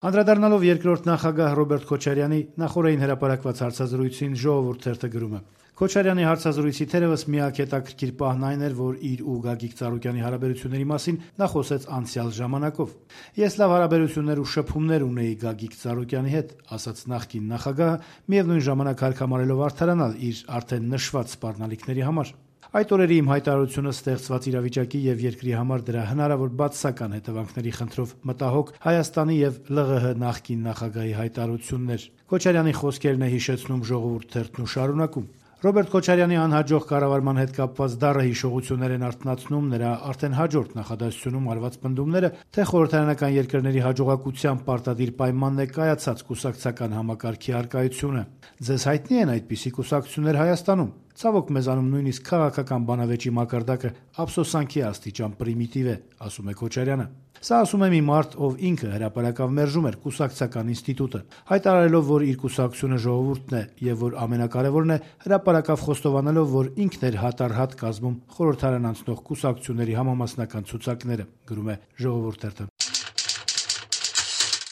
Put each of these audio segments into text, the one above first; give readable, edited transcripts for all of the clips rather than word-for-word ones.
Անդրադառնալով երկրորդ նախագահ Ռոբերտ Քոչարյանի նախօրեին հրապարակված հարցազրույցին «Ժողովուրդ» թերթը գրում է. Քոչարյանի հարցազրույցի թերևս միակ հետաքրքիր պահն այն էր, որ իր ու Գագիկ Ծառուկյանի հարաբերությունների մասին նա խոսեց անցյալ ժամանակով։ «Ես լավ հարաբերություններ ու շփումներ ունեի Գագիկ Ծառուկյանի հետ», ասաց նախկին նախագահը, միևնույն ժամանակ հարկամարելով արդարանալ իր արդեն նշված սպառնալիքների համար։ Այդ օրերի իմ հայտարարությունը ստեղծված իրավիճակի եւ երկրի համար դրա հնարավոր բացասական հետևանքների խնդրով մտահոգ Հայաստանի եւ ԼՂՀ նախկին նախագահի հայտարարությունն էր։ Քոչարյանի խոսքերն է հիշեցնում «Ժողովուրդ» թերթն ու շարունակում. Ռոբերտ Քոչարյանի անհաջող կառավարման հետ կապված դառը հիշողություններ են արթնացնում նրա արդեն հաջորդ նախադասությունում արված պնդումները, թե խորհրդարանական երկրների հաջողակության պարտադիր պայմանն է կայացած կուսակցական համակարգի առկայությունը։ Ձեզ հայտնի են այդպիսի կուսակցություններ Հայաստանում։ Ցավոք մեզանում նույնիսկ քաղաքական բանավեճի մակարդակը ափսոսանքի աստիճան պրիմիտիվ է, ասում է Քոչարյանը։ Սա ասում է մի մարդ, ով ինքը հրապարակավ մերժում էր կուսակցական ինստիտուտը, հայտարարելով, որ իր կուսակցությունը ժողովուրդն է եւ որ ամենակարևորն է, հրապարակավ խոստովանելով, որ ինքն էր հատառհատ կազմում խորհրդարան անցնող կուսակցությունների համամասնական ցուցակները, գրում է «Ժողովուրդ» թերթը։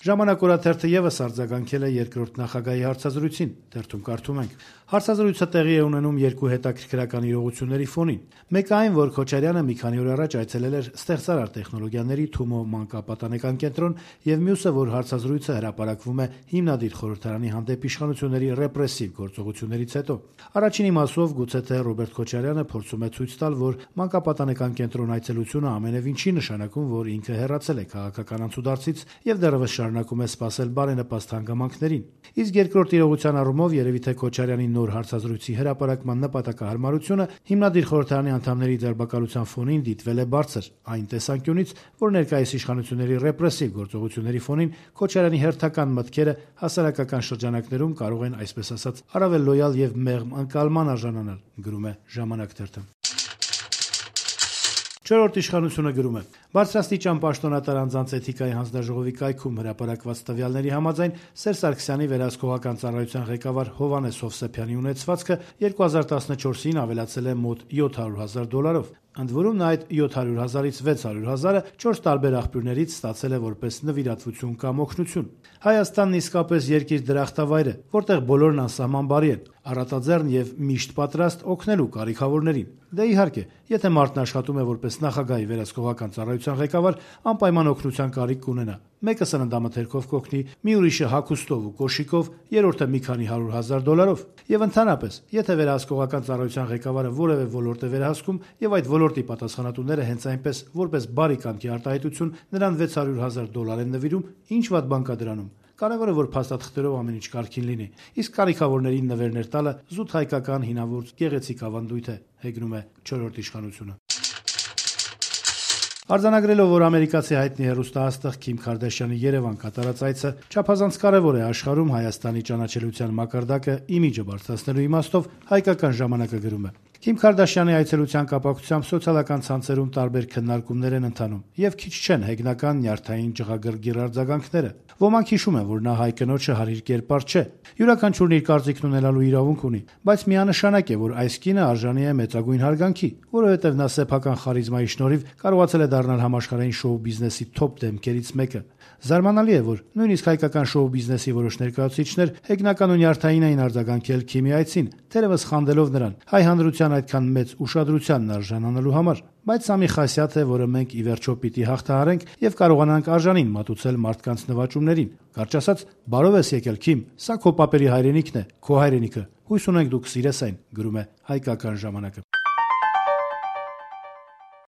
«Ժամանակ» օրաթերթը եւս արձագանքել է երկրորդ նախագահի հարցազրույցին, թերթում կարդում ենք. Հարցազրույցը տեղի է ունենում երկու հետաքրքրական իրողությունների ֆոնին։ Մեկը այն, որ Քոչարյանը մի քանի օր առաջ այցելել էր ստեղծարար տեխնոլոգիաների Թումո մանկապատանեկան կենտրոն, եւ մյուսը, որ հարցազրույցը հրապարակվում է հիմնադիր խորհրդարանի հանդեպ իշխանությունների ռեպրեսիվ գործողություններից հետո։ Առաջինի մասով գուցե թե Ռոբերտ Քոչարյանը փորձում է ցույց տալ, որ մանկապատանեկան կենտրոն այցելությունը ամենևին չի նշանակում, որ ինքը հեռացել է քաղաքական անցուդարձից եւ դեռևս շարունակում է սպասել բարենպաստ հանգամանքներին։ Իսկ երկրորդ իրողության առումով երևի թե Քոչարյանի նոր հարցազրույցի հրապարակման նպատակահարմարությունը հիմնադիր խորհրդարանի անդամների ձերբակալության ֆոնին դիտվել է բարձր, այն տեսանկյունից, որ ներկայիս իշխանությունների ռեպրեսիվ գործողությունների ֆոնին Քոչարյանի հերթական մտքերը հասարակական շրջանակներում կարող են, այսպես ասած, առավել լոյալ եւ մեղմ ընկալման արժանանալ, գրում է «Ժամանակ» թերթը։ Չորրորդ իշխանությունը գրում է. Բարձրաստիճան պաշտոնատար անձանց էթիկայի հանձնաժողովի կայքում հրապարակված տվյալների համաձայն Սերժ Սարգսյանի վերահսկողական ծառայության ղեկավար Հովհաննես Հովսեփյանի ունեցվածքը 2014-ին ավելացել է մոտ $700,000-ով։ Ընդ որում նա այդ 700,000-ից 600,000-ը 4 տարբեր աղբյուրներից ստացել է որպես նվիրատվություն կամ օգնություն։ Հայաստանն իսկապես երկիր դրախտավայր է, որտեղ բոլորն անսահման բարի են, առատաձեռն եւ միշտ պատրաստ օգնելու կարիքավորներին։ Դե իհարկե, եթե մարդն աշխատում է որպես նախագահի վերահսկողական ծառայության ղեկավար, անպայման օգնության կարիք կունենա։ Մեկը սննդամթերքով կօգնի, մի ուրիշը հագուստով ու կոշիկով, երրորդը մի քանի $100,000-ով։ Եվ ընդհանրապես, եթե վերահսկողական ծառայության ղեկավարը որևէ ոլորտ է վերահսկում եւ այդ ոլորտի պատասխանատուները հենց այնպես որպես բարի կամքի արտահայտություն նրան $600,000 են նվիրում, ինչ վատ բան կա դրանում։ Կարևորը որ փաստաթղթերով ամեն ինչ կարգին լինի, իսկ կարիքավորներին նվերներ տալը զուտ հայկական հինավուրց գեղեցիկ ավանդույթ է, հեգնում է չորրորդ իշխանությունը։ Արձանագրելով, որ ամերիկացի հայտնի հեռուստաաստղ Քիմ Քարդաշյանի Երևան կատարած այցը չափազանց կարևոր է աշխարհում Հայաստանի ճանաչելիության մակարդակը իմիջը բարձրացնելու իմաստով, հայկական ժամանակը գրում է. Քիմ Քարդաշյանի այցելության կապակցությամբ սոցիալական ցանցերում տարբեր քննարկումներ են ընթանում եւ քիչ չեն հեգնական նյարդային ջղագրգիռ արձագանքները։ Ոմանք հիշում են, որ նա հայ կնոջը հարիր կերպար չէ։ Յուրաքանչյուրն իր կարծիքն ունենալու իրավունք ունի, բայց միանշանակ է, որ այս կինը արժանի է մեծագույն հարգանքի, որովհետեւ նա սեփական խարիզմայի շնորհիվ կարողացել է դառնալ համաշխարհային շոու բիզնեսի թոփ դեմքերից մեկը։ Զարմանալի է, որ նույնիսկ հայկական շոու բիզնեսի որոշ ներկայացուցիչներ հեգնական ու նյարդային էին արձագանքել Քիմի այցին, թերևս խանդելով նրան հայ հանրության այդքան մեծ ուշադրությանն արժանանալու համար։ Բայց սա մի խասյաթ է, որը մենք ի վերջո պիտի հաղթահարենք եւ կարողանանք արժանին մատուցել մարդկանց նվաճումներին։ Կարճ ասած, բարով ես եկել Քիմ, սա քո պապերի հայրենիքն է, քո հայրենիքը։ Հույս ունենք դու կսիրես այն, գրում է հայկական ժամանակը։